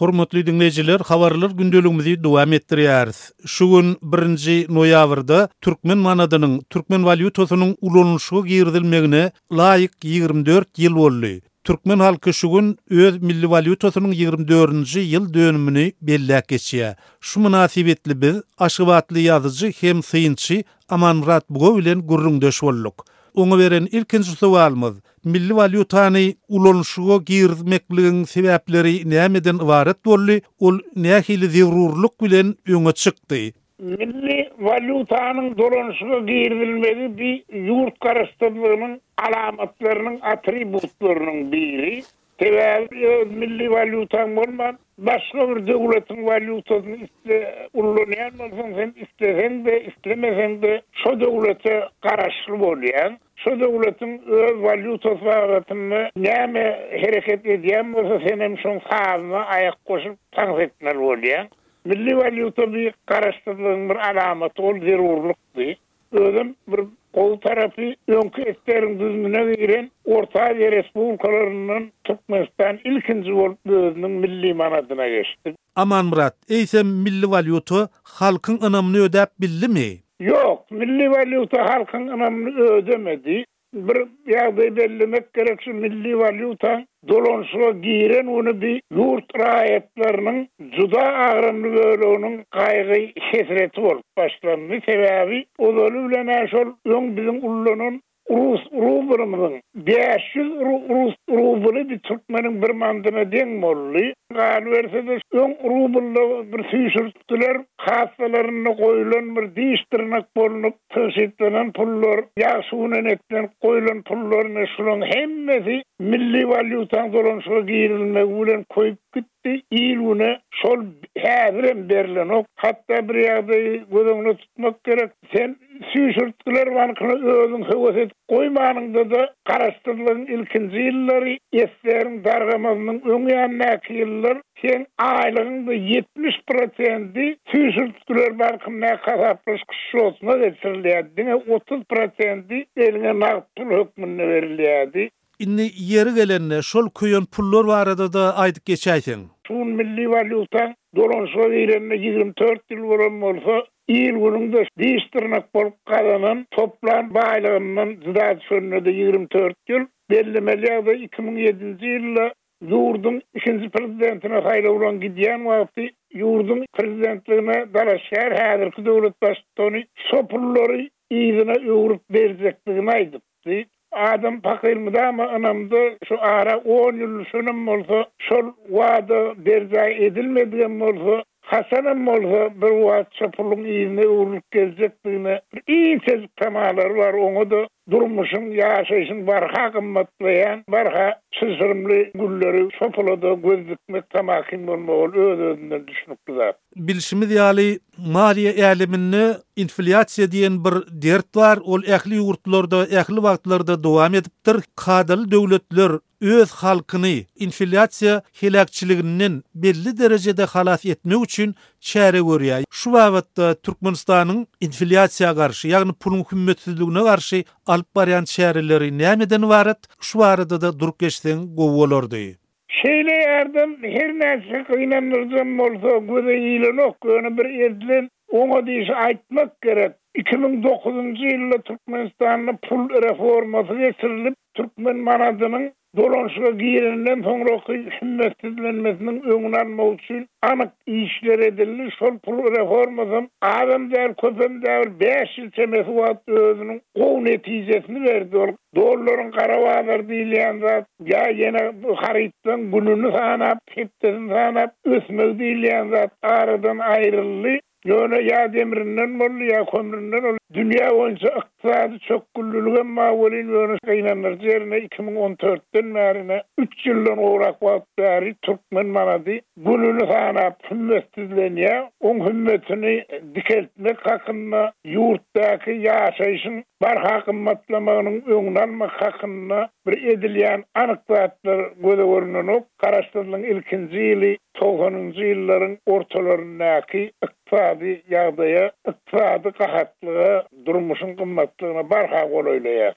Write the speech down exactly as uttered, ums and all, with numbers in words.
Hormatly diňleýjiler, habarlar gündeligimizi dowam etdirýäris. Şu gün birinji noýabrda türkmen manadynyň, türkmen walýutasynyň ulanylyşyga girizilmegine laýyk ýigrimi dört ýyl boldy. Türkmen halky şu gün öz milli walýutasynyň ýigrimi dördünji ýyl dönümini belläp geçýär. Şu mynasybetli biz Aşgabatly ýazyjy hem synçy Amanmyrat Buga bilen gürrüňdeş bolduk. Oňa beren ilkinji sowalymyz, milli walýutany ulanyşyga girizmekligiň sebäpleri nämeden ybarat boldy, ol nähili zerurlyk bilen öňe çykdy? Milli walýutanyň dolanyşyga girizilmegi bir ýurt garaşsyzlygynyň alamatlarynyň, atributlarynyň biri. Sebäbi öz milli walýutaň bolman, başga bir döwletiň walýutasyny isle ullanýan bolsaň, sen isleseň-de, islemeseň-de şo döwlete garaşly bolýaň. Şo döwletiň öz walýutasy babatynda näme hereket edýän bolsa, sen hem şoň sazyna aýak goşup tans etmeli bolýaň. Milli walýuta bir garaşsyzlygyň bir alamaty, ol zerurlykdy. Özem bir gowy tarapy, öňki S S R-iň düzümine giren Orta Aziýa respublikalaryndan Türkmenistan ilkinji bolup özüniň milli manadyna geçdi. Amanmyrat, eýsem milli walýuta halkyň ynamyny ödäp bildimi? Ýok, milli walýuta halkyň ynamyny ödemedi. Bir ýagdaý bellemek gerek, şu milli walýutaň dolanyşyga giren güni bir ýurt raýatlarynyň juda agramly böleginiň gaýgy hesreti bolup başlandy. Sebäbi ozaly bilen şol öň biziň ullanan rus rublymyzyň bäş ýüz rus rubly bir türkmeniň bir mandyna deň boldy. Galyberse-de öň rublda bir süýşürtdiler, kassalarynda goýulan bir diş dyrnak bolunyp tygşytlanan pullar, ýagşy güne netlenip goýulan pullar, ine şularyň hemmesi milli walýutaň dolanyşyga girizilmegi bilen koýup gitdi. Il güne şol häzirem berilenok. Hatda bir ýagdaýy göz öňüne tutmak gerek. Sen süýşürtgiler bankyna özüň höwes edip goýmanyňda-da garaşsyzlygyň ilkinji ýyllary, S S R-iň dargamasynyň öň ýanyndaky ýyllar sen aýlygyňda ýetmiş prosenti süýşürtgiler bankyndaky hasaplaşyk şotyna geçirilýärdi. Diňe otuz prosenti eliňe nagt pul hökmünde berilýärdi. Indi ýeri gelende şol köýen pullar barada-da aýdyp geçäýseň. Şu milli walýutaň dolanyşyga girende ýigrimi dört ýyl bolan bolsa, il günüňde diş dyrnak bolup gazanan toplan baýlygyndan juda düşende-de ýigrimi dört ýyl. Bellemeli ýagdaý iki müň ýedinji ýylda ýurduň ikinji prezidentine saýlawlan gidýän wagty ýurduň prezidentligine dalaşgär häzirki döwlet baştutany şo pullary yzyna öwrüp berjekdigini aýdypdy. Adam pakyr mydama ynamda şu ara on ýyl düşenem bolsa, şol wada berjaý edilmedigem bolsa, haçanam bolsa bir wagt şo puluň yzyna öwrülip geljekdigine bir inçejik tamalary bar. Oňa-da durmuşyň, ýaşaýşyň barha gymmatlaýan, barha çylşyrymly günleri şo pula-da göz dikmek tamakin bolmagy öz-özünden düşnükli zat. Bilşimiz ýaly, maliýe äleminde inflýasiýa diýen bir dert bar. Ol ähli ýurtlarda, ähli wagtlarda dowam edipdir. Kadaly döwletler öz halkyny inflýasiýa heläkçiliginden belli derejede halas etmek üçin çäre görýär. Şu babatda Türkmenistanyň inflýasiýa garşy, ýagny puluň hümmetsizligine garşy alyp barýan çäreleri nämeden ybarat? Şu barada-da durup geçseň gowy bolardy. Şeýle ýardam her näçe gynandyrjam bolsa göze ilenok, ýöne bir edilen oňa diýşi aýtmak gerek. Iki müň dokuzynjy ýylda Türkmenistanda pul reformasy geçirilip, türkmen manadynyň dolanyşyga girenden soňraky hümmetsizlenmesiniň öňüni almak üçin anyk işler edildi. Şol pul reformasam azam däl, köpem däl, bäş ýyl çemesi wagt özüniň gowy netijesini berdi. Ol dollaryň gara bazar diýilýän zat, ýa ýene bu harytlaryň gününi sanap, hepdesini sanap ösmegi diýilýän zat aradan aýryldy. Ýöne ýa demrinden boldy, ýa kömründen boldy. Dünýä boýunça ykdysady çökgünliligem bar welin, ýöne gynandyryjy ýerine iki müň on dörtden bärine üç ýyldan gowrak wagt bäri türkmen manady gününi sanap hümmetsizlenýär. Oň hümmetini dikeltmek hakynda, ýurtdaky ýaşaýşyň barha gymmatlamagynyň öňüni almak hakynda bir edilýän anyk zatlar göze görünenok. Garaşsyzlygyň ilkinji ýyly togsanynjy ýyllaryň ortalaryndaky ykdysady ýagdaýa, ykdysady gahatlyga, durmuşyň gymmatlygyna barha golaýlaýar.